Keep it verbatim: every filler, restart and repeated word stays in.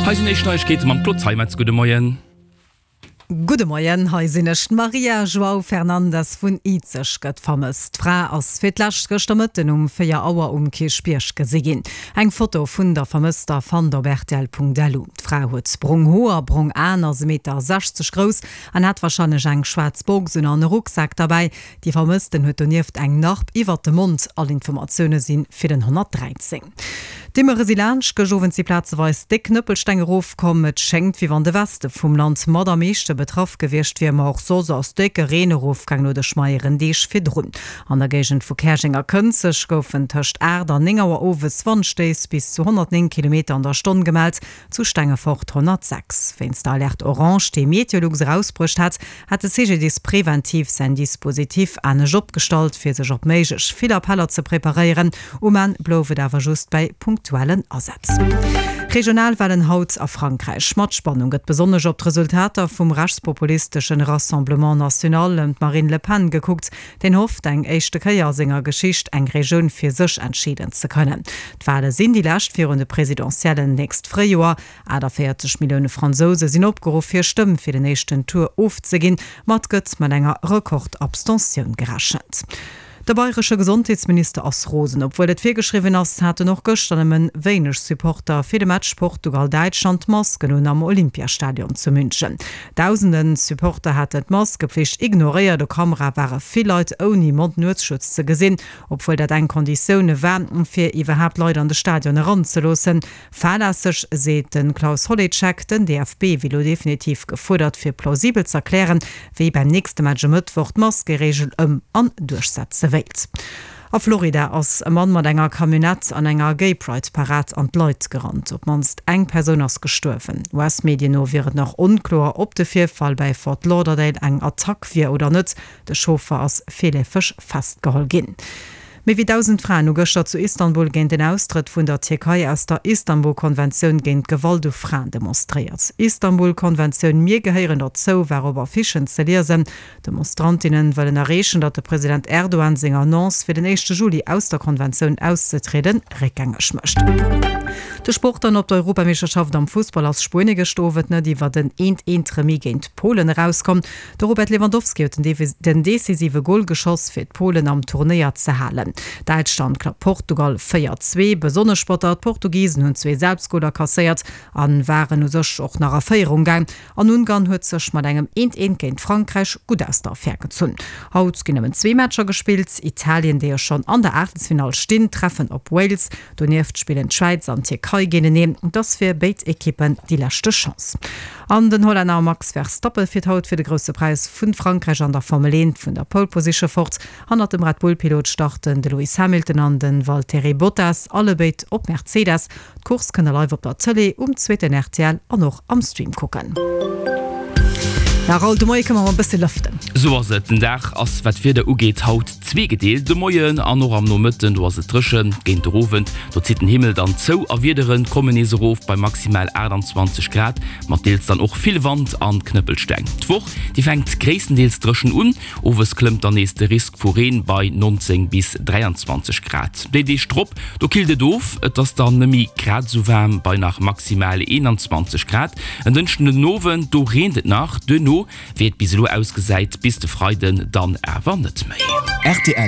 Hei sinn éischt Neiegkeete mam Claude Zeimetz. Gudde Moien. Gudde Moien, hei sinn ech. D'Maria João Fernandes vun Izeg gëtt vermësst. D'Fra ass fir d'lescht gëschter Mëtten um véier Auer um Kierchbierg gesi ginn. Eng Foto vun der Vermësster fannt op rtl.lu. D'Fra huet brong Hoer, brong Aen, ass e Meter sechzeg grouss an hat warscheinlech eng schwaarz Box un an e Rucksak derbäi. Déi Vermëssten huet donieft eng Narb iwwert dem Mond. All Informatioune si fir den honnertdräizéng. D'Immere si laanscht, gëscht Owend si plazeweis déck Knëppelsteng erofkomm. Et schéngt, wéi wann de Weste vum Land mat am meeschte betraff gewiescht wier, ma och soss ass décke Reen erofgaang no de schmeieren Deeg virdrun. An der Géigend vu Käerjeng a Kënzeg goufen tëscht aacht an néng Auer owes Wandstéiss bis zu honnertnéng Kilometer an der Stonn gemellt, zu Stengefort honnertsechs. Wéinst der Alerte orange, déi Meteolux erausbruecht hat, hat de C G D I S preventiv säin Dispositif anescht opgestallt, fir sech op méiglech vill Appeller ze preparéieren. Um Enn blouf et awer just bäi punktuellen Asätz. Regionalwalen haut a Frankräich. Mat Spannung gëtt besonnesch op d'Resultater vum rechtspopulistesche Rassemblement National ëm d'Marine Le Pen gekuckt. Deen hofft, eng éischte Kéier a senger Geschicht eng Regioun fir sech entscheeden ze kënnen. D'Wale sinn déi lescht virun de Presidentiellen nächst Fréijoer. achtundvéierzeg Millioune Fransouse sinn opgeruff, hir Stëmm fir den éischten Tour ofzeginn, ma et gëtt mat enger Rekord-Abstentioun gerechent. De bayresche Gesondheetsminister ass rosen. Obwuel et virgeschriwwen ass, haten och gëschter nëmmen wéineg Supporter fir de Match Portugal-Däitschland d'Masken un am Olympiastadion zu München. Dausende Supporter haten d'Maskepflicht ignoréiert. Op Kamera ware vill Leit ouni Mond-Nuesschutz ze gesinn, obwuel dat eng Konditioun war, fir iwwerhaapt Leit an de Stadion eranzeloossen. Fahrlässeg, seet de Klaus Holicek. Den D F B wier elo definitiv gefuerdert, fir plausibel z'erklären, wéi beim nächste Match e Mëttwoch d'Maskereegel ëm an duerchsetze wéilt. A Florida ass e Mann mat enger Camionnette an enger Gay-Pride-Parad an d'Leit gerannt. Op d'mannst eng Persoun ass gestuerwen. U S-Medien no wier et nach onkloer, ob de Virfall bei Fort Lauderdale eng Attack wier oder net. De Chauffer ass virleefeg festgeholl ginn. Méi wéi dausend Fraen hu gëschter zu Istanbul géint den Austrëtt vun der Tierkei aus der Istanbul-Konventioun géint d'Gewalt u Fraen demonstréiert. Istanbul-Konventioun, mir gehéieren dozou, war op Affichen ze liesen. D'Demonstrantinne wëllen erreechen, datt de President Erdogan seng Annonce, fir den éischte Juli aus der Konventioun auszetrieden, réckgängeg mécht. De Sport dann. Op der Europameeschterschaft am Fussball ass Spuenie gëschter Owend net iwwer den eent eent Remis géint Polen erauskomm. De Robert Lewandowski huet den decisive Gol geschoss, fir d'Polen am Turnéier ze halen. Däitschland klappt Portugal véier zwee. Besonnesch batter, d'Portugisen hunn zwee Selbstgoler kasséiert a waren u sech och nach a Féierung gaang. An Ungarn huet sech mat engem eent eent géint Frankräich gutt aus der Affär gezunn. Haut ginn nëmmen zwee Matcher gespillt. Italien, déi jo schonn an der Aachtelsfinall stinn, treffen op Wales. Donieft spillen d'Schwäiz an d'Tierkei géinteneen. Et ass fir béid Ekippen déi leschte Chance. An den Hollänner Max Verstappen fiert haut fir de Grousse Präis vu Frankräich an der Formel eent vun der Pole Position fort. Hannert dem Red Bull-Pilot starten de Lewis Hamilton an de Valtteri Bottas, allebéid op Mercedes. D'Course kënnt der live op der Tëlee, um zweeten R T L an och am Stream kucken. Ja, Raoul, de Moie kënne mer mol e bësse lëften. Sou ass et. Den Dag ass, wat d'Wieder ugeet, haut zweegedeelt. De Moien an och am Nomëtten, do ass et dréchen. Géint de Owend, do zitt den Himmel dann zou a Wiedere kommen nees erof bei maximal achtundzwanzeg Grad, mat deels dann och vill Wand an Knëppelsteng. D'Woch, déi fänkt gréisstendeels dréchen un. Owes klëmmt dann nees de Risk vu Reen bei nonzéng bis dräianzwanzeg Grad. Déi Deeg drop, do killt et of, et ass dann net méi grad esou waarm bei nach maximal eenanzwanzeg Grad. En Dënschden den Owend, do reent et nach, duerno, wéi et bis elo ausgesäit, bis de Freiden dann awer net méi. R T L.